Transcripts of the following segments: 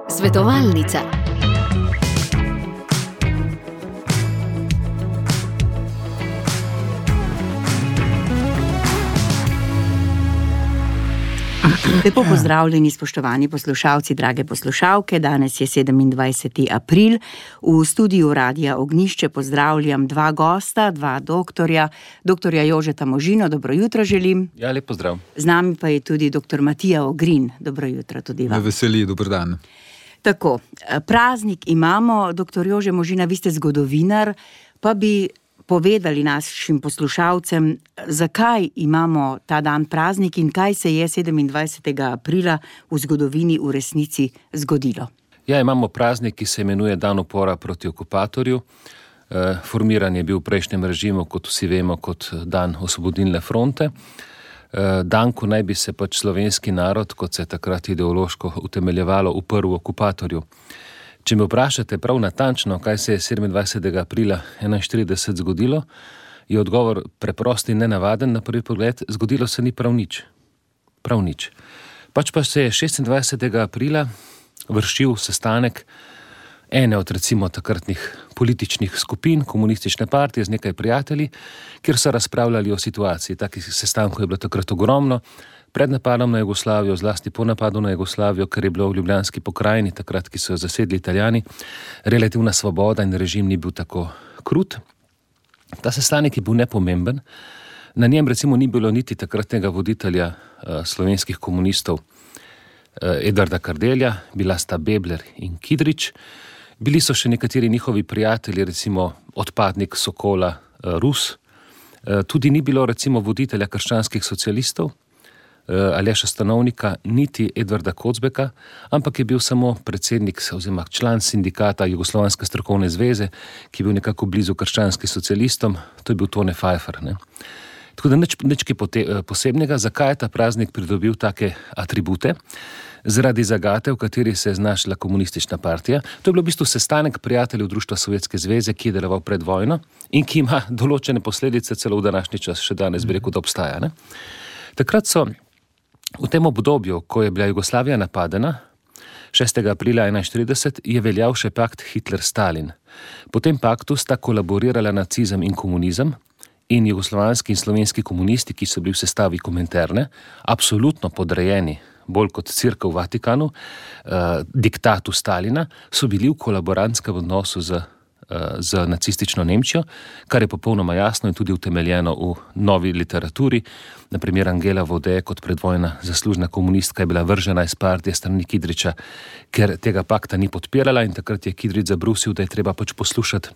Svetovalnica. Lepo pozdravljeni, spoštovani poslušalci, drage poslušalke. Danes je 27. april. V studiu Radia Ognjišče pozdravljam dva gosta, dva doktorja. Doktorja Jožeta Možino, dobro jutro želim. Ja, lep pozdrav. Z nami pa je tudi doktor Matija Ogrin. Dobro jutro tudi vam. Me veseli, dober dan. Tako, praznik imamo, doktor Jože Možina, vi ste zgodovinar, pa bi povedali našim poslušalcem, zakaj imamo ta dan praznik in kaj se je 27. aprila v zgodovini v resnici zgodilo. Ja, imamo praznik, ki se imenuje Dan upora proti okupatorju. Formiran je bil v prejšnjem režimu, kot vsi vemo, kot dan Osvobodilne fronte. Dan, ko naj bi se pač slovenski narod, kot se je takrat ideološko utemeljevalo, uprl okupatorju. Če me vprašate prav natančno, kaj se je 27. aprila 1941 zgodilo, je odgovor preprost in nenavaden na prvi pogled, zgodilo se ni prav nič. Prav nič. Pač pa se je 26. aprila vršil sestanek ene od recimo takratnih političnih skupin, komunistične partije z nekaj prijatelji, kjer so razpravljali o situaciji. Takih sestankov je bilo takrat ogromno. Pred napadom na Jugoslavijo, zlasti po napadu na Jugoslavijo, ker je bilo v Ljubljanski pokrajini, takrat, ki so jo zasedli Italijani, relativna svoboda in režim ni bil tako krut. Ta sestanek je bil nepomemben. Na njem recimo ni bilo niti takratnega voditelja slovenskih komunistov Edvarda Kardelja, bila sta Bebler in Kidrič. Bili so še nekateri njihovi prijatelji, recimo odpadnik Sokola Rus. Tudi ni bilo recimo voditelja krščanskih socialistov, Aleša Stanovnika, niti Edvarda Kocbeka, ampak je bil samo predsednik oziroma član sindikata Jugoslovanske strokovne zveze, ki je bil nekako blizu krščanskim socialistom, to je bil Tone Pfeiffer. Ne? Tako da nič posebnega. Zakaj je ta praznik pridobil take atribute? Zaradi zagate, v kateri se je znašla komunistična partija. To je bilo v bistvu sestanek prijateljev Društva Sovjetske zveze, ki je deloval pred vojno in ki ima določene posledice celo v današnji čas, še danes bi rekel, da obstaja. Ne? Takrat so v tem obdobju, ko je bila Jugoslavija napadena, 6. aprila 1941, je veljal še pakt Hitler-Stalin. Po tem paktu sta kolaborirala nacizem in komunizem in jugoslovanski in slovenski komunisti, ki so bili v sestavi Kominterne, absolutno podrejeni, bolj kot Cerkev v Vatikanu, diktatu Stalina, so bili v kolaborantskem odnosu z nacistično Nemčijo, kar je popolnoma jasno in tudi utemeljeno v novi literaturi. Naprimer, Angela Vode kot predvojna zaslužna komunistka je bila vržena iz partije strani Kidriča, ker tega pakta ni podpirala in takrat je Kidrič zabrusil, da je treba pač poslušati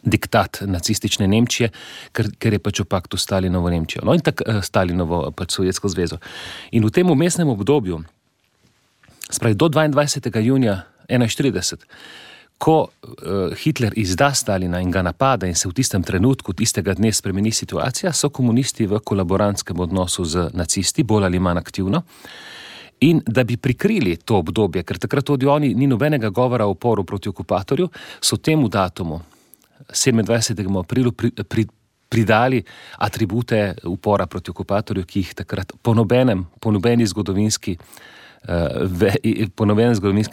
diktat nacistične Nemčije, ker je pač v paktu Stalinovo Nemčijo. No in Stalinovo pač Sovjetsko zvezo. In v tem vmesnem obdobju, spravi do 22. junija 1941, ko Hitler izda Stalina in ga napada in se v tistem trenutku, tistega dne spremeni situacija, so komunisti v kolaborantskem odnosu z nacisti, bolj ali manj aktivno. In da bi prikrili to obdobje, ker takrat tudi oni ni nobenega govora o uporu proti okupatorju, so temu datumu, 27. aprilu, pridali atribute upora proti okupatorju, ki jih takrat po nobenem zgodovinskem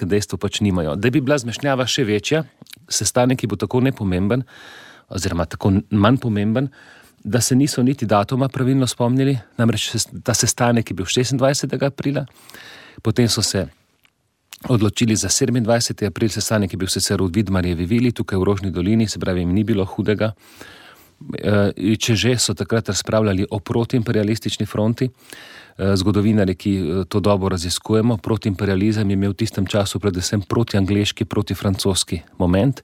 dejstvu pač nimajo. Da bi bila zmešnjava še večja, sestanek je bil tako nepomemben, oziroma tako manj pomemben, da se niso niti datuma pravilno spomnili, namreč ta sestanek je bil 26. aprila, potem so se odločili za 27. april, sestanek je bil sicer v Vidmarjevi vili, tukaj v Rožni dolini, se pravi, jim ni bilo hudega. Če že so takrat razpravljali o protiimperialistični fronti, zgodovinarji, ki to dobro raziskujemo, protiimperializem je imel v tistem času predvsem protiangleški, protifrancoski moment,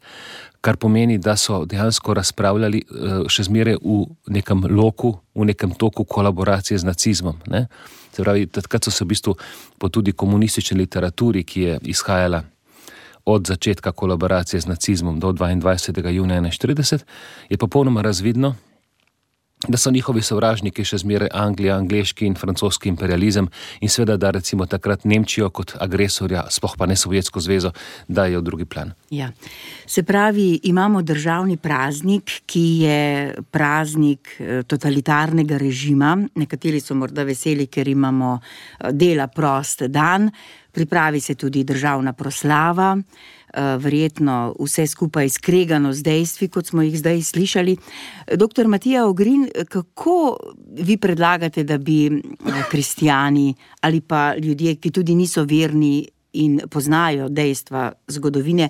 kar pomeni, da so dejansko razpravljali še zmeraj v nekem loku, v nekem toku kolaboracije z nacizmom. Ne? Se pravi, takrat so se v bistvu po tudi komunistični literaturi, ki je izhajala od začetka kolaboracije z nacizmom do 22. junija 1941, je popolnoma razvidno, da so njihovi sovražniki še zmeraj Anglija, angleški in francoski imperializem in seveda, da recimo takrat Nemčijo kot agresorja, sploh pa ne Sovjetsko zvezo, dajo v drugi plan. Ja. Se pravi, imamo državni praznik, ki je praznik totalitarnega režima. Nekateri so morda veseli, ker imamo dela prost dan. Pripravi se tudi državna proslava, verjetno vse skupaj skregano z dejstvi, kot smo jih zdaj slišali. Dr. Matija Ogrin, kako vi predlagate, da bi kristjani ali pa ljudje, ki tudi niso verni in poznajo dejstva zgodovine,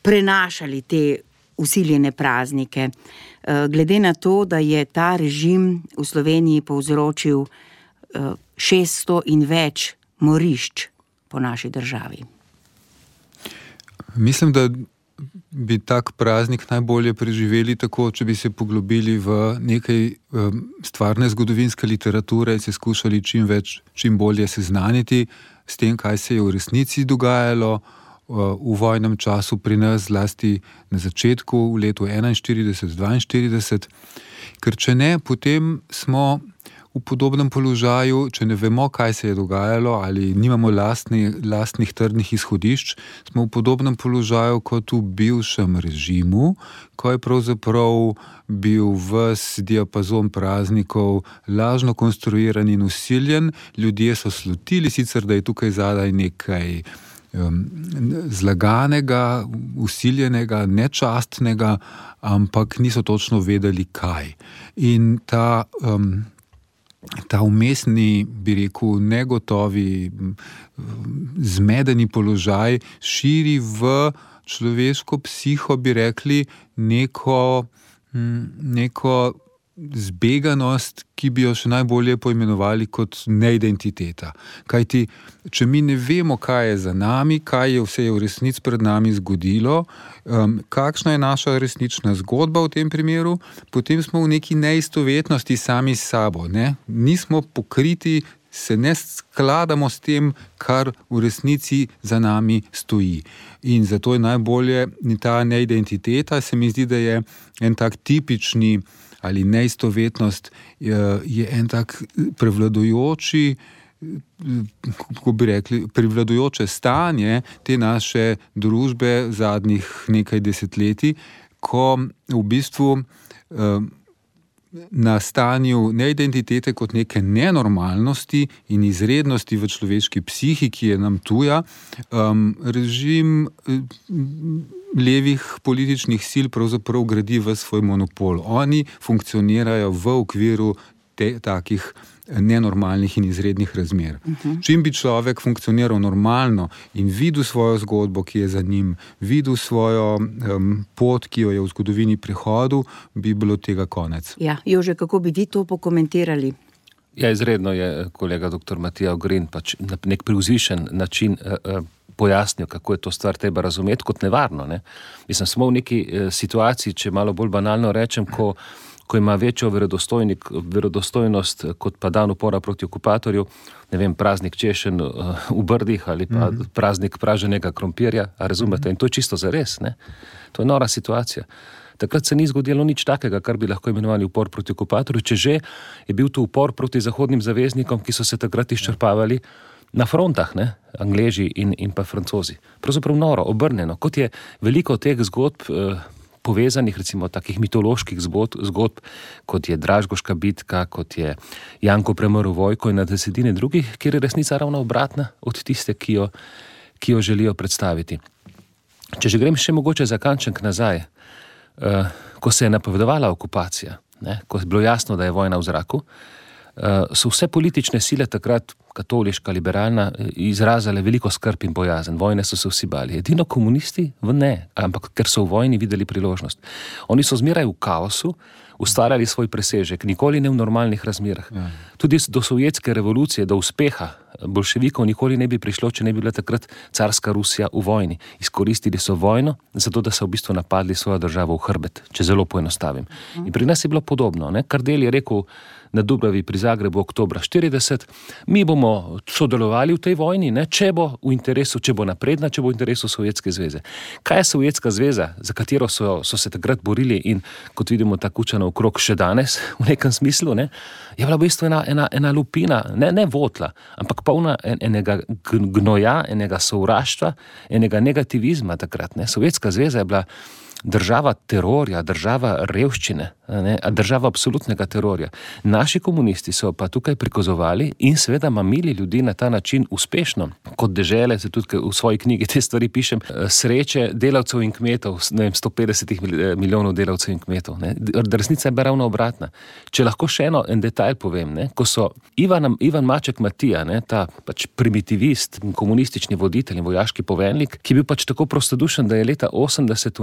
prenašali te vsiljene praznike? Glede na to, da je ta režim v Sloveniji povzročil 600 in več morišč po naši državi. Mislim, da bi tak praznik najbolje preživeli tako, če bi se poglobili v nekaj stvarne zgodovinske literature in se skušali čim bolje seznaniti s tem, kaj se je v resnici dogajalo v vojnem času pri nas, zlasti na začetku, v letu 41-42, ker če ne, potem smo v podobnem položaju, če ne vemo, kaj se je dogajalo ali nimamo lastnih trdnih izhodišč, smo v podobnem položaju kot v bivšem režimu, ko je pravzaprav bil ves diapazon praznikov lažno konstruiran in vsiljen. Ljudje so slutili sicer, da je tukaj zadaj nekaj zlaganega, vsiljenega, nečastnega, ampak niso točno vedeli, kaj. In ta umestni, bi rekel, negotovi, zmedeni položaj širi v človeško psiho, bi rekli, neko zbeganost, ki bi jo še najbolje poimenovali kot neidentiteta. Kajti, če mi ne vemo, kaj je za nami, kaj je vse v resnici pred nami zgodilo, kakšna je naša resnična zgodba v tem primeru, potem smo v neki neistovetnosti sami s sabo. Nismo pokriti, se ne skladamo s tem, kar v resnici za nami stoji. In zato je najbolje ta neidentiteta, se mi zdi, da je en tak tipični ali neistovetnost je en tak prevladujoči, kako bi rekli, prevladujoče stanje te naše družbe zadnjih nekaj desetletij, ko v bistvu na stanju neidentitete kot neke nenormalnosti in izrednosti v človeški psihi, ki je nam tuja, režim levih političnih sil pravzaprav gradi v svoj monopol. Oni funkcionirajo v okviru takih nenormalnih in izrednih razmer. Čim bi človek funkcioniral normalno in videl svojo zgodbo, ki je za njim, videl svojo pot, ki jo je v zgodovini prehodil, bi bilo tega konec. Ja, Jože, kako bi vi to pokomentirali? Ja, izredno je kolega dr. Matija Ogrin pač na nek privzvišen način pojasnil, kako je to stvar treba razumeti kot nevarno. Mislim, smo v neki situaciji, če malo bolj banalno rečem, ko ima večjo verodostojnost kot pa dan upora proti okupatorju, ne vem, praznik češenj v Brdih ali pa praznik praženega krompirja, a razumete? In to je čisto zares, ne? To je nora situacija. Takrat se ni zgodilo nič takega, kar bi lahko imenovali upor proti okupatorju, če že je bil to upor proti zahodnim zaveznikom, ki so se takrat izčrpavali na frontah, Angleži in pa Francozi. Pravzaprav noro, obrnjeno, kot je veliko teh zgodb povezanih, recimo takih mitoloških zgodb, kot je Dražgoška bitka, kot je Janko premrl Vojko in na desetine drugih, kjer je resnica ravno obratna od tiste, ki jo želijo predstaviti. Če že grem še mogoče za kanček nazaj, ko se je napovedovala okupacija, ko je bilo jasno, da je vojna v zraku, so vse politične sile takrat, katoliška, liberalna, izrazile veliko skrb in bojazen. Vojne so se vsi bali. Edino komunisti ne, ampak ker so v vojni videli priložnost. Oni so zmeraj v kaosu ustvarjali svoj presežek, nikoli ne v normalnih razmerah. Tudi do sovjetske revolucije, do uspeha bolševikov nikoli ne bi prišlo, če ne bi bila takrat carska Rusija v vojni. Izkoristili so vojno, zato da so v bistvu napadli svojo državo v hrbet, če zelo poenostavim. In pri nas je bilo podobno. Kardelj je rekel na Dubravi pri Zagrebu oktobra 40, mi bomo sodelovali v tej vojni, če bo v interesu, če bo napredna, če bo v interesu Sovjetske zveze. Kaj je Sovjetska zveza, za katero so se takrat borili in kot vidimo ta Kučanov krog še danes v nekem smislu, je bila v bistvu ena lupina, ne votla, ampak polna enega gnoja, enega sovraštva, enega negativizma takrat. Sovjetska zveza je bila država terorja, država revščine, država absolutnega terorja. Naši komunisti so pa tukaj prikazovali in seveda mamili ljudi na ta način uspešno. Kot dežele, se tudi v svoji knjigi te stvari pišem, sreče delavcev in kmetov, 150 milijonov delavcev in kmetov. Resnica je ravno obratna. Če lahko še en detajl povem, ko so Ivan Maček Matija, ta pač primitivist, komunistični voditelj in vojaški poveljnik, ki je bil pač tako prostodušen, da je leta 80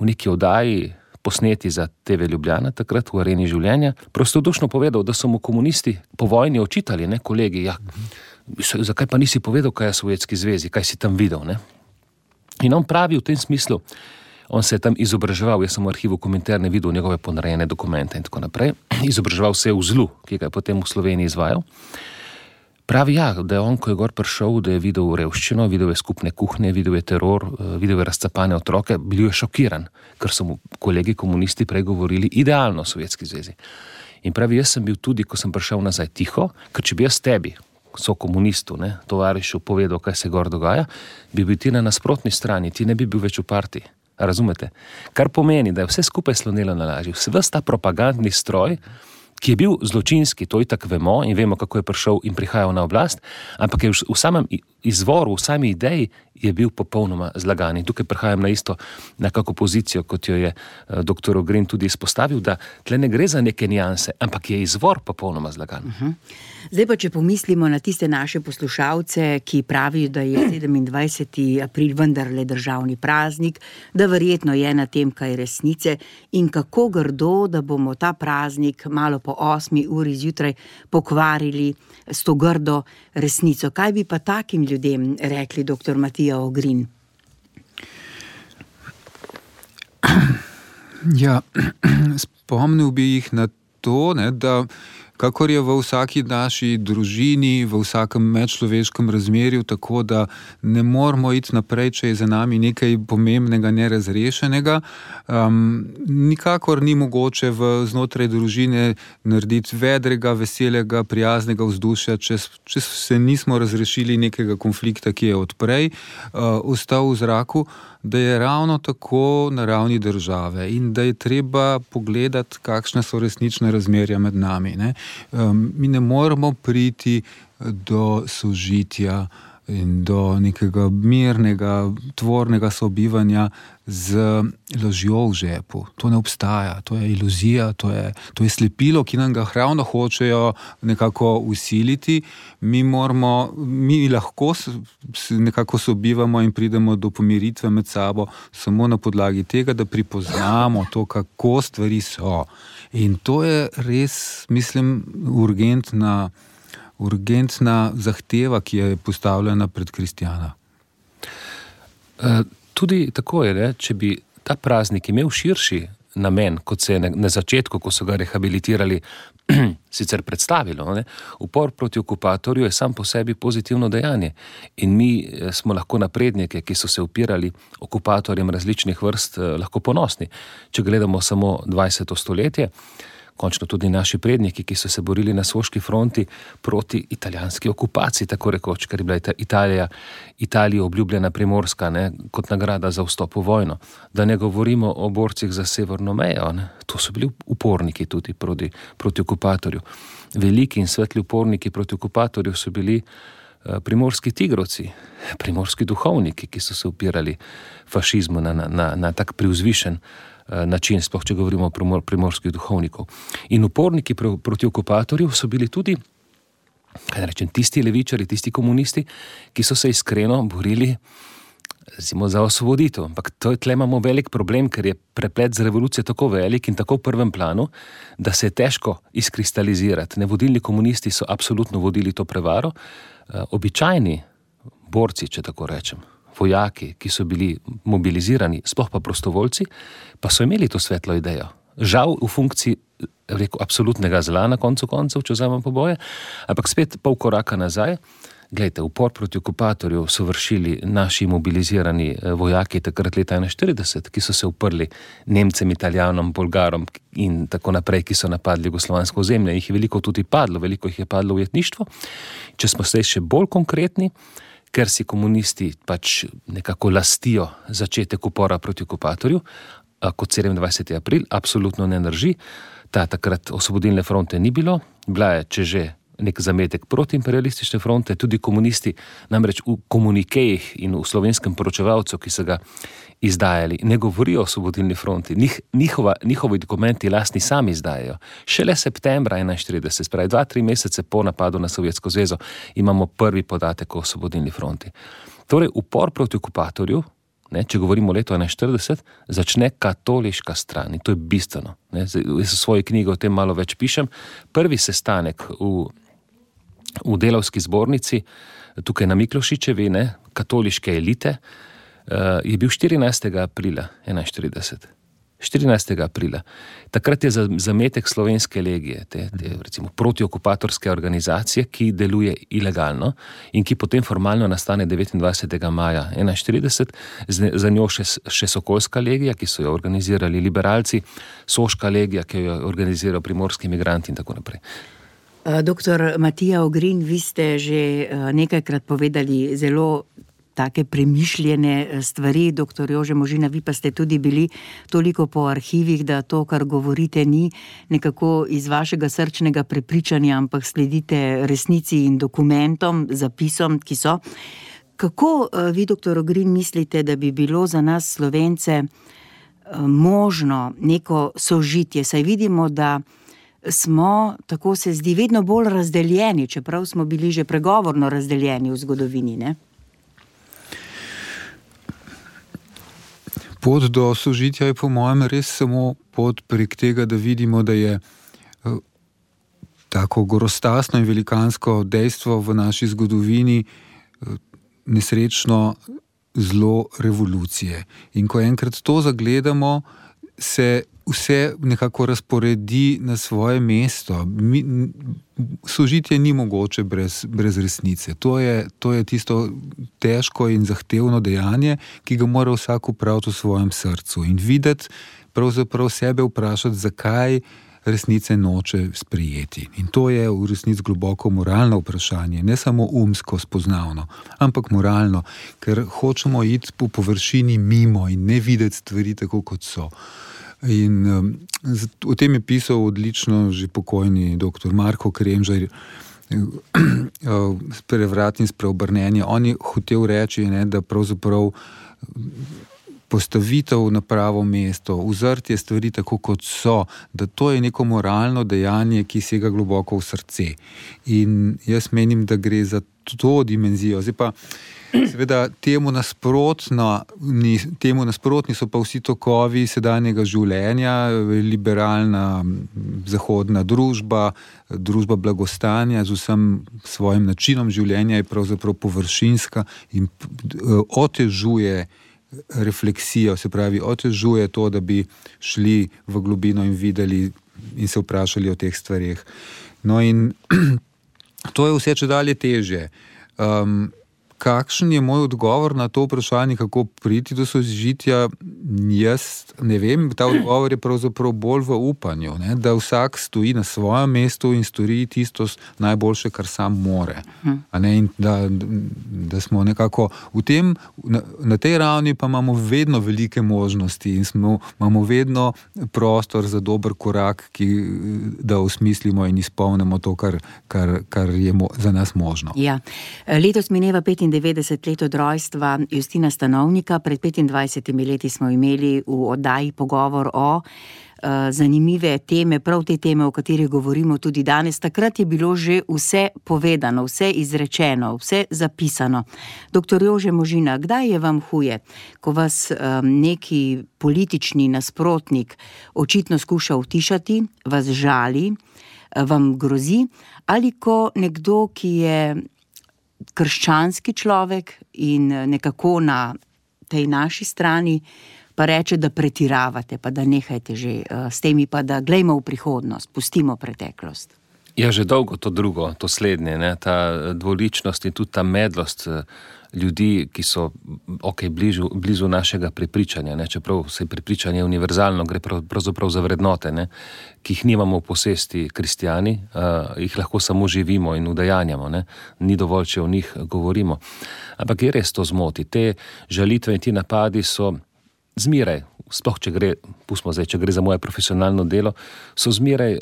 v neki oddaji posneti za TV Ljubljana, takrat v Areni življenja, prostodušno povedal, da so mu komunisti po vojni očitali, kolegi, zakaj pa nisi povedal, kaj je v Sovjetski zvezi, kaj si tam videl, In on pravi v tem smislu, on se je tam izobraževal, jaz sem v arhivu Kominterne videl njegove ponarejene dokumente in tako naprej, izobraževal se je v zlu, ki ga je potem v Sloveniji izvajal. Pravi, da je on, ko je gor prišel, da je videl revščino, videl je skupne kuhne, videl je teror, videl je razcapane otroke, bil je šokiran, ker so mu kolegi komunisti prej govorili idealno o Sovjetski zvezi. In pravi, jaz sem bil tudi, ko sem prišel nazaj tiho, ker če bi jaz tebi, so komunistu, tovarišu povedal, kaj se gor dogaja, bi bil ti na nasprotni strani, ti ne bi bil več v partiji. Razumete? Kar pomeni, da je vse skupaj slonelo na laži. Ves ta propagandni stroj, ki je bil zločinski, to itak vemo in vemo, kako je prišel in prihajal na oblast, ampak je v samem izvoru, v sami ideji je bil popolnoma zlagan. In tukaj prihajam na isto nekako pozicijo, kot jo je dr. Ogrin tudi izpostavil, da tle ne gre za neke nijanse, ampak je izvor popolnoma zlagan. Zdaj pa, če pomislimo na tiste naše poslušalce, ki pravijo, da je 27. april vendarle državni praznik, da verjetno je na tem kaj resnice in kako grdo, da bomo ta praznik malo po 8. uri zjutraj pokvarili s to grdo resnico. Kaj bi pa takim ljudem rekli, dr. Matija Ogrin? Ja, spomnil bi jih na to, da kakor je v vsaki naši družini, v vsakem medčloveškem razmerju, tako da ne moramo iti naprej, če je za nami nekaj pomembnega, nerazrešenega. Nikakor ni mogoče znotraj družine narediti vedrega, veselega, prijaznega vzdušja, če se nismo razrešili nekega konflikta, ki je odprej ostal v zraku, da je ravno tako na ravni države in da je treba pogledati, kakšne so resnične razmerja med nami. Mi ne moremo priti do sožitja in do nekega mirnega, tvornega sobivanja z lažjo v žepu. To ne obstaja, to je iluzija, to je slepilo, ki nam ga ravno hočejo nekako usiliti. Mi lahko nekako sobivamo in pridemo do pomiritve med sabo samo na podlagi tega, da pripoznamo to, kako stvari so. In to je res, mislim, urgentna zahteva, ki je postavljena pred kristjana. Tudi tako je, če bi ta praznik imel širši namen, kot se je na začetku, ko so ga rehabilitirali, sicer predstavilo. Upor proti okupatorju je sam po sebi pozitivno dejanje. In mi smo lahko naprednike, ki so se upirali okupatorjem različnih vrst, lahko ponosni. Če gledamo samo 20. stoletje, končno tudi naši predniki, ki so se borili na Soški fronti proti italijanski okupaciji, tako rekoč, ker je bila Italiji obljubljena Primorska, kot nagrada za vstop v vojno. Da ne govorimo o borcih za severno mejo, to so bili uporniki tudi proti okupatorju. Veliki in svetli uporniki proti okupatorju so bili primorski tigrovci, primorski duhovniki, ki so se upirali fašizmu na tak privzvišen način, sploh če govorimo o primorskih duhovnikov. In uporniki proti okupatorju so bili tudi, tisti levičari, tisti komunisti, ki so se iskreno borili recimo za osvoboditev. Ampak tle imamo velik problem, ker je preplet z revolucijo tako velik in tako v prvem planu, da se je težko izkristalizirati. Nevodilni komunisti so absolutno vodili to prevaro. Običajni borci, če tako rečem, vojaki, ki so bili mobilizirani, sploh pa prostovoljci, pa so imeli to svetlo idejo. Žal v funkciji, rekel, absolutnega zla na koncu koncev, če vzamem poboje, ampak spet pol koraka nazaj. Glejte, upor proti okupatorju so vršili naši mobilizirani vojaki takrat leta 1941, ki so se uprli Nemcem, Italijanom, Bolgarom in tako naprej, ki so napadli jugoslovansko ozemlje. Jih je veliko tudi padlo, veliko jih je padlo v ujetništvo. Če smo zdaj še bolj konkretni, ker si komunisti pač nekako lastijo začetek upora proti okupatorju, kot 27. april, absolutno ne drži. Takrat osvobodilne fronte ni bilo, bila je, če že, nek zametek protiimperialistične fronte, tudi komunisti, namreč v komunikejih in v slovenskem poročevalcu, ki so ga izdajali, ne govorijo o osvobodilni fronti, njihovi dokumenti lastni sami izdajajo. Šele septembra 1941, spravi 2-3 mesece po napadu na Sovjetsko zvezo, imamo prvi podatek o osvobodilni fronti. Torej, upor proti okupatorju, če govorimo o letu 1941, začne katoliška stran in to je bistveno. Jaz v svoji knjigi o tem malo več pišem. Prvi sestanek v delavski zbornici, tukaj na Miklošičevi, katoliške elite, je bil 14. aprila 1941. 14. aprila. Takrat je zametek slovenske legije, te recimo protiokupatorske organizacije, ki deluje ilegalno in ki potem formalno nastane 29. maja 1941, za njo še Sokolska legija, ki so jo organizirali liberalci, Soška legija, ki jo je organiziral primorski migranti in tako naprej. Doktor Matija Ogrin, vi ste že nekajkrat povedali zelo take premišljene stvari, doktor Jože Možina, vi pa ste tudi bili toliko po arhivih, da to, kar govorite, ni nekako iz vašega srčnega prepričanja, ampak sledite resnici in dokumentom, zapisom, ki so. Kako vi, doktor Ogrin, mislite, da bi bilo za nas Slovence možno neko sožitje? Saj vidimo, da smo, tako se zdi, vedno bolj razdeljeni, čeprav smo bili že pregovorno razdeljeni v zgodovini, ne? Pot do sožitja je po mojem res samo pot prek tega, da vidimo, da je tako grostasno in velikansko dejstvo v naši zgodovini nesrečno zlo revolucije. In ko enkrat to zagledamo, se vse nekako razporedi na svoje mesto. Sožitje ni mogoče brez resnice. To je tisto težko in zahtevno dejanje, ki ga mora vsak opraviti v svojem srcu in videti, pravzaprav sebe vprašati, zakaj resnice noče sprejeti. In to je v resnici globoko moralno vprašanje, ne samo umsko spoznavno, ampak moralno, ker hočemo iti po površini mimo in ne videti stvari tako, kot so. In o tem je pisal odlično že pokojni dr. Marko Kremžar, Prevrat in spreobrnenje. On je hotel reči, da pravzaprav postavitev na pravo mesto, uzrtje stvari tako, kot so, da to je neko moralno dejanje, ki sega globoko v srce. In jaz menim, da gre za to dimenzijo. Zdaj pa seveda temu nasprotni so pa vsi tokovi sedanjega življenja, liberalna zahodna družba, družba blagostanja z vsem svojim načinom življenja je pravzaprav površinska in otežuje refleksijo, se pravi, otežuje to, da bi šli v globino in videli in se vprašali o teh stvareh. No in to je vse čedalje težje. Kakšen je moj odgovor na to vprašanje, kako priti do sožitja? Jaz ne vem, ta odgovor je pravzaprav bolj v upanju, da vsak stoji na svojem mestu in stori tisto najboljše, kar sam more. In da smo nekako v tem, na tej ravni pa imamo vedno velike možnosti in imamo vedno prostor za dober korak, da osmislimo in izpolnimo to, kar je za nas možno. Ja. Letos mineva 25 95 let od rojstva Justina Stanovnika. Pred 25 leti smo imeli v oddaji pogovor o zanimive teme, prav te teme, o katerih govorimo tudi danes. Takrat je bilo že vse povedano, vse izrečeno, vse zapisano. Doktor Jože Možina, kdaj je vam huje, ko vas neki politični nasprotnik očitno skuša utišati, vas žali, vam grozi, ali ko nekdo, ki je krščanski človek in nekako na tej naši strani, pa reče, da pretiravate, pa da nehajte že s temi, pa da glejmo v prihodnost, pustimo preteklost. Ja, že dolgo to drugo, to slednje, ne? Ta dvoličnost in tudi ta medlost ljudi, ki so blizu našega prepričanja, ne? Čeprav se prepričanje univerzalno, gre pravzaprav za vrednote, ne? Ki jih nimamo v posesti kristjani, jih lahko samo živimo in udejanjamo, ne? Ni dovolj, če o njih govorimo. Ampak je res to zmoti. Te žalitve in ti napadi so zmeraj, sploh če gre za moje profesionalno delo, so zmeraj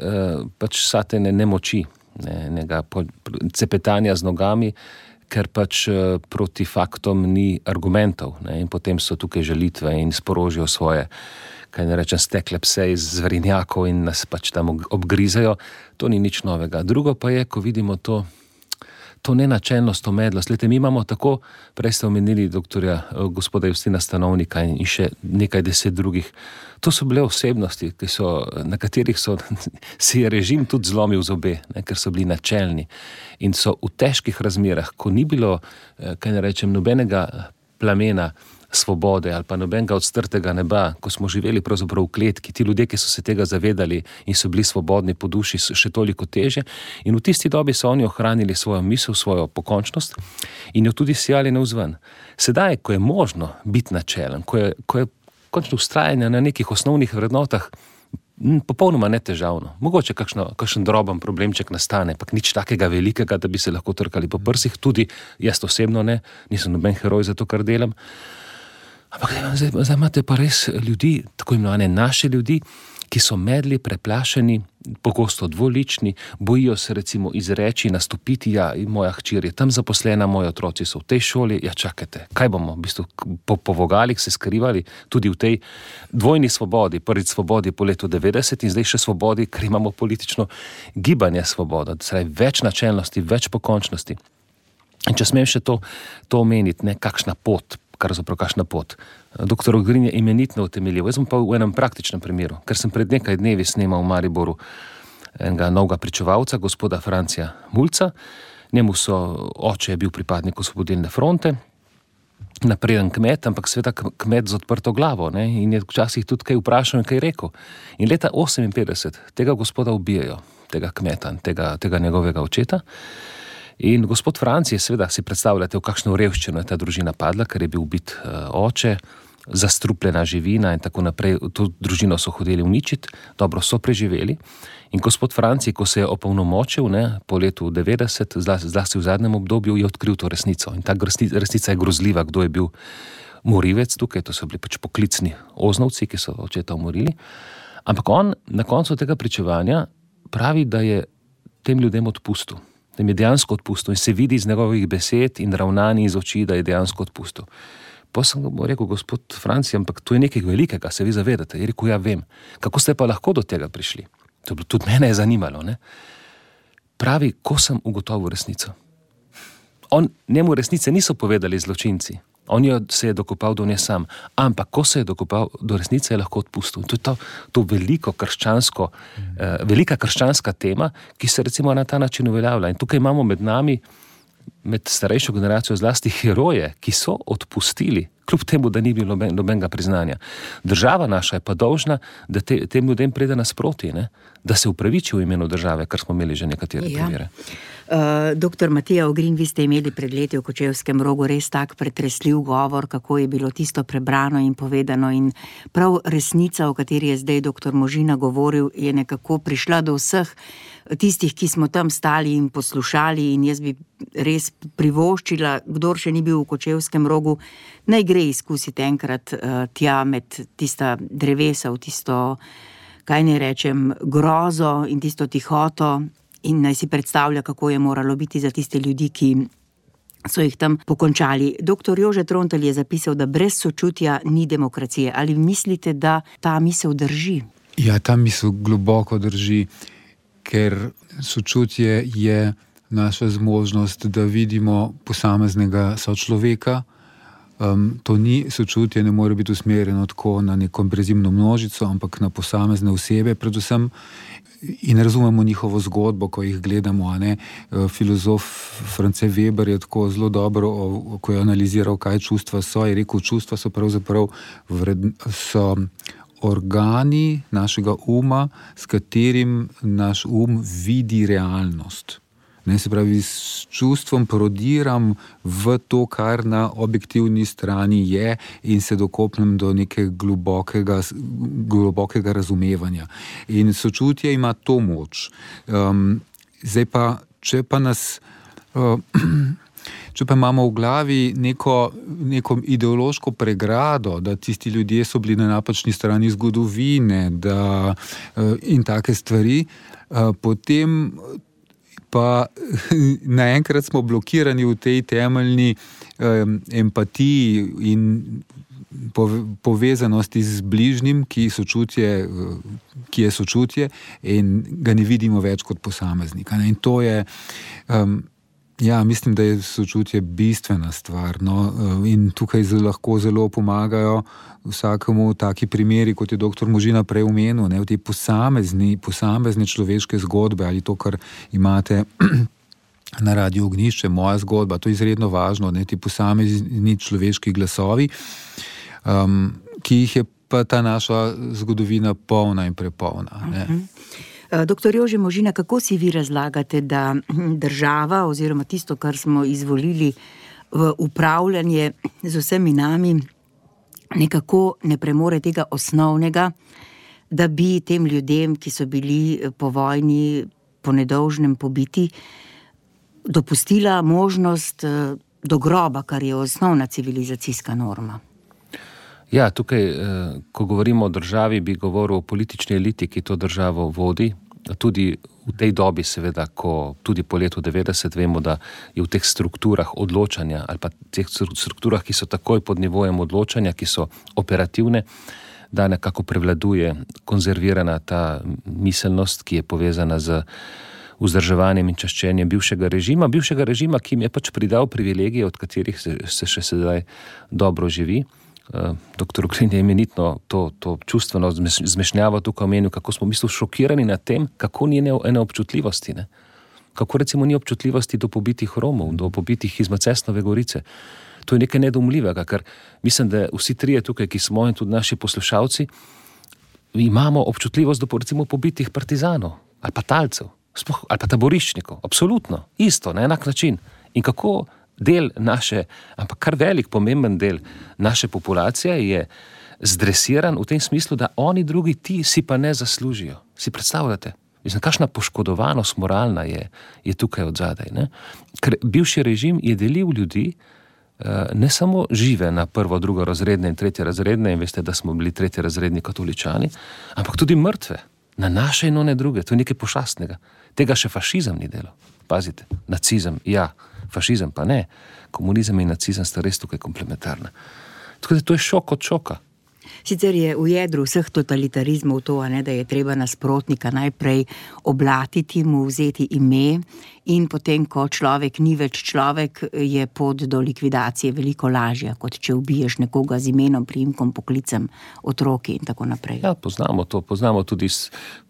pač satene nemoči, enega cepetanja z nogami, ker pač proti faktom ni argumentov, ne, in potem so tukaj žalitve in sporožijo svoje, kaj ne rečem, stekle pse iz zverinjakov in nas pač tam obgrizajo. To ni nič novega. Drugo pa je, ko vidimo to nenačelnost, to medlost. Glejte, mi imamo tako, prej ste omenili gospoda Justina Stanovnika in še nekaj 10 drugih. To so bile osebnosti, na katerih si je režim tudi zlomil zobe, ne, ker so bili načelni. In so v težkih razmerah, ko ni bilo, kaj ne rečem, nobenega plamena svobode ali pa nobenega odstrtega neba, ko smo živeli pravzaprav v kletki, ti ljudje, ki so se tega zavedali in so bili svobodni po duši, so še toliko teže. In v tisti dobi so oni ohranili svojo misel, svojo pokončnost in jo tudi sijali navzven. Sedaj, ko je možno biti načelen, ko je končno vztrajanje na nekih osnovnih vrednotah popolnoma netežavno. Mogoče kakšen droben problemček nastane, pa nič takega velikega, da bi se lahko trkali po prsih, tudi jaz osebno ne, nisem noben heroj za to, kar delam. Ampak zdaj imate pa res ljudi, tako imenovane naše ljudi, ki so medli, preplašeni, pogosto dvolični, bojijo se recimo izreči, nastopiti, moja hčer je tam zaposlena, moji otroci so v tej šoli, čakajte, kaj bomo v bistvu po vogalih se skrivali tudi v tej dvojni svobodi, prvič svobodi po letu 90 in zdaj še svobodi, ker imamo politično gibanje svoboda, več načelnosti, več pokončnosti. In če smem še to omeniti, ne, kakšna pot. Doktor Ogrin je imenitno utemeljil. Jaz sem pa v enem praktičnem primeru, ker sem pred nekaj dnevi snemal v Mariboru enega novega pričevalca, gospoda Francija Mulca. Njemu oče je bil pripadnik Osvobodilne fronte, napreden kmet, ampak sveda kmet z odprto glavo, ne, in je včasih tudi kaj vprašal in kaj rekel. In leta 58 tega gospoda ubijajo, tega kmeta, tega njegovega očeta. In gospod Franci je seveda, si predstavljate, v kakšno revščino je ta družina padla, ker je bil ubit oče, zastrupljena živina in tako naprej. To družino so hodili uničiti, dobro so preživeli. In gospod Franci, ko se je opolnomočil, ne, po letu 90, zlasti v zadnjem obdobju, je odkril to resnico. In ta resnica je grozljiva, kdo je bil morilec tukaj, to so bili pač poklicni oznovci, ki so očeta umorili. Ampak on na koncu tega pričevanja pravi, da je tem ljudem odpustil. Da jim je dejansko odpustil in se vidi iz njegovih besed in ravnanj iz oči, da je dejansko odpustil. Pa sem rekel, gospod Franci, ampak to je nekaj velikega, se vi zavedate. Je rekel, vem. Kako ste pa lahko do tega prišli? Tudi mene je zanimalo, ne? Pravi, ko sem ugotovil resnico. Njemu resnice niso povedali zločinci. On se je dokopal do nje sam. Ampak ko se je dokopal do resnice, je lahko odpustil. To je to velika krščanska tema, ki se recimo na ta način uveljavlja. In tukaj imamo med nami, med starejšo generacijo zlasti heroje, ki so odpustili, kljub temu, da ni bilo nobenega priznanja. Država naša je pa dolžna, da tem ljudem pride nasproti, ne? Da se upraviči v imenu države, kar smo imeli že nekatere primere. Doktor Matija Ogrin, vi ste imeli pred leti v Kočevskem Rogu res tak pretresljiv govor, kako je bilo tisto prebrano in povedano, in prav resnica, o kateri je zdaj doktor Možina govoril, je nekako prišla do vseh tistih, ki smo tam stali in poslušali, in jaz bi res privoščila, kdor še ni bil v Kočevskem Rogu, naj gre izkusiti enkrat tja med tista drevesa, v tisto, kaj ne rečem, grozo in tisto tihoto, in naj si predstavlja, kako je moralo biti za tiste ljudi, ki so jih tam pokončali. Dr. Jože Trontelj je zapisal, da brez sočutja ni demokracije. Ali mislite, da ta misel drži? Ja, ta misel globoko drži, ker sočutje je naša zmožnost, da vidimo posameznega sočloveka. To ni sočutje, ne more biti usmerjeno tako na neko brezimno množico, ampak na posamezne osebe predvsem in razumemo njihovo zgodbo, ko jih gledamo. Filozof France Weber je tako zelo dobro, ko je analiziral, kaj čustva so, je rekel, čustva so pravzaprav so organi našega uma, s katerim naš vidi realnost. Se pravi, s čustvom parodiram v to, kar na objektivni strani je in se dokopnem do nekega globokega razumevanja. In sočutje ima to moč. Zdaj pa, če pa imamo v glavi neko ideološko pregrado, da tisti ljudje so bili na napačni strani zgodovine, in take stvari, potem pa naenkrat smo blokirani v tej temeljni empatiji in povezanosti z bližnjim, ki je sočutje in ga ne vidimo več kot posameznika. In to je, mislim, da je sočutje bistvena stvar. In tukaj lahko zelo pomagajo vsakemu taki primeri, kot je dr. Možina prej omenil, v te posamezne človeške zgodbe ali to, kar imate na Radiu Ognjišče, moja zgodba, to je izredno važno, ti posamezni človeški glasovi, ki jih je pa ta naša zgodovina polna in prepolna. Doktor Jože Možina, kako si vi razlagate, da država oziroma tisto, kar smo izvolili v upravljanje z vsemi nami, nekako ne premore tega osnovnega, da bi tem ljudem, ki so bili po vojni, po nedolžnem pobiti, dopustila možnost do groba, kar je osnovna civilizacijska norma? Ja, tukaj, ko govorimo o državi, bi govoril o politični eliti, ki to državo vodi. Tudi v tej dobi, seveda, ko tudi po letu 90 vemo, da je v teh strukturah odločanja ali pa teh strukturah, ki so takoj pod nivojem odločanja, ki so operativne, da nekako prevladuje konzervirana ta miselnost, ki je povezana z vzdrževanjem in čaščenjem bivšega režima, ki jim je pač pridal privilegije, od katerih se še sedaj dobro živi. Dr. Uglin je imenitno to čustveno zmešnjavo tukaj omenil, kako smo v bistvu šokirani nad tem, kako ni ene občutljivosti. Kako recimo ni občutljivosti do pobitih Romov, do pobitih iz Macesnove Gorice. To je nekaj nedoumljivega, ker mislim, da vsi trije tukaj, ki smo in tudi naši poslušalci, imamo občutljivost do recimo pobitih partizanov ali pa talcev, ali pa taboriščnikov. Absolutno, isto, na enak način. In kako del naše, ampak kar velik, pomemben del naše populacije je zdresiran v tem smislu, da oni drugi, ti si pa ne zaslužijo. Si predstavljate? Mislim, kakšna poškodovanost moralna je tukaj odzadaj. Ker bivši režim je delil ljudi, ne samo žive na prvo, drugo razredne in tretje razredne, in veste, da smo bili tretje razredni katoličani, ampak tudi mrtve, na naše in one druge. To je nekaj pošastnega. Tega še fašizem ni delal. Pazite, nacizem, ja, fašizem pa ne. Komunizem in nacizem sta res tukaj komplementarna. Tako da to je šok od šoka. Sicer je v jedru vseh totalitarizmov to, da je treba nasprotnika najprej oblatiti, mu vzeti ime in potem, ko človek ni več človek, je pot do likvidacije veliko lažja, kot če ubiješ nekoga z imenom, priimkom, poklicem, otroki in tako naprej. Ja, poznamo to, poznamo tudi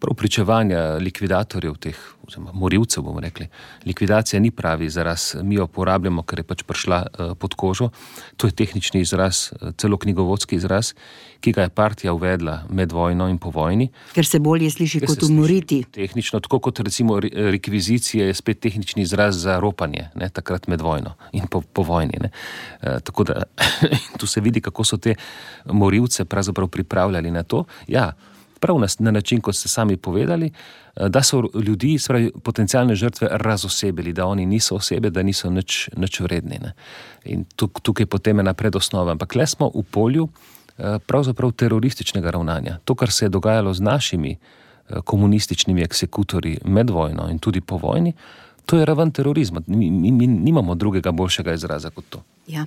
prav pričevanja likvidatorjev teh, oziroma morilcev, bomo rekli. Likvidacija ni pravi izraz, mi jo uporabljamo, ker je pač prišla pod kožo. To je tehnični izraz, celo knjigovodski izraz, ki ga je partija uvedla med vojno in po vojni. Ker se bolje sliši kot umoriti. Tehnično, tako kot recimo rekvizicija je spet tehnični izraz za ropanje, takrat med vojno in po vojni. Tako da tu se vidi, kako so te morilce pravzaprav pripravljali na to. Ja, prav na način, kot ste sami povedali, da so ljudi, spravi, potencialne žrtve razosebili, da oni niso osebe, da niso nič vredni. In tukaj potem je napred osnova. Ampak le smo v polju pravzaprav terorističnega ravnanja. To, kar se je dogajalo z našimi komunističnimi eksekutorji med vojno in tudi po vojni, To je raven terorizma. Mi nimamo drugega boljšega izraza kot to. Ja.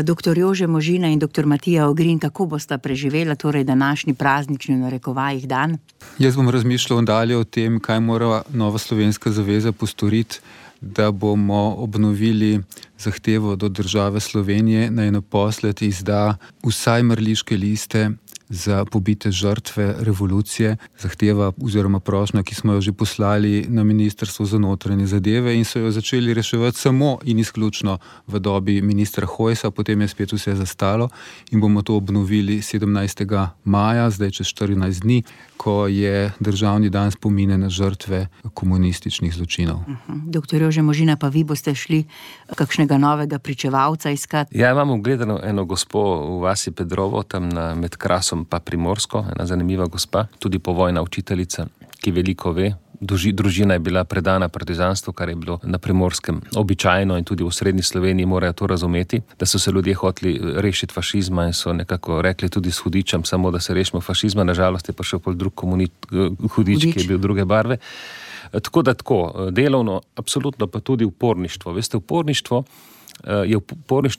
Doktor Jože Možina in doktor Matija Ogrin, kako bosta preživela torej današnji praznični v narekovajih dan? Jaz bom razmišljal dalje o tem, kaj mora Nova slovenska zaveza postoriti, da bomo obnovili zahtevo do države Slovenije, naj naposled izda vsaj mrliške liste za pobite žrtve revolucije, zahteva oziroma prošnja, ki smo jo že poslali na Ministrstvo za notranje zadeve in so jo začeli reševati samo in izključno v dobi ministra Hojsa, potem je spet vse zastalo in bomo to obnovili 17. maja, zdaj čez 14 dni, ko je državni dan spomine na žrtve komunističnih zločinov. Doktor Jože Možina, pa vi boste šli kakšnega novega pričevalca iskati? Ja, imamo gledano eno gospo v vasi Pedrovo, tam med Krasom pa Primorsko, ena zanimiva gospa, tudi povojna učiteljica, ki veliko ve. Družina je bila predana partizanstvu, kar je bilo na Primorskem običajno in tudi v srednji Sloveniji morajo to razumeti, da so se ljudje hoteli rešiti fašizma in so nekako rekli tudi s hudičem, samo da se rešimo fašizma, nažalost je pa še pol drug hudič, ki je bil druge barve. Tako da delovno, absolutno pa tudi uporništvo. Veste, uporništvo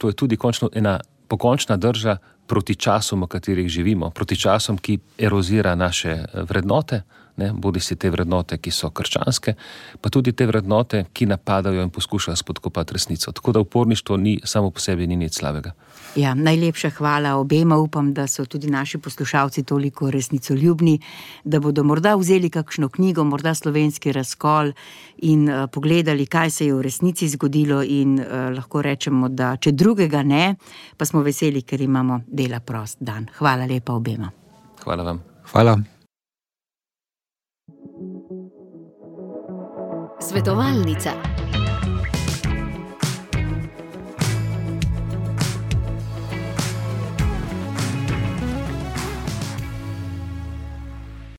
je tudi končno ena pokončna drža proti časom, v katerih živimo, proti časom, ki erozira naše vrednote, bodi si te vrednote, ki so krščanske, pa tudi te vrednote, ki napadajo in poskušajo spodkopati resnico. Tako da uporništvo samo po sebi ni nič slabega. Ja, najlepša hvala obema. Upam, da so tudi naši poslušalci toliko resnicoljubni, da bodo morda vzeli kakšno knjigo, morda Slovenski razkol in pogledali, kaj se je v resnici zgodilo in lahko rečemo, da če drugega ne, pa smo veseli, ker imamo dela prost dan. Hvala lepa obema. Hvala vam. Hvala. Svetovalnica.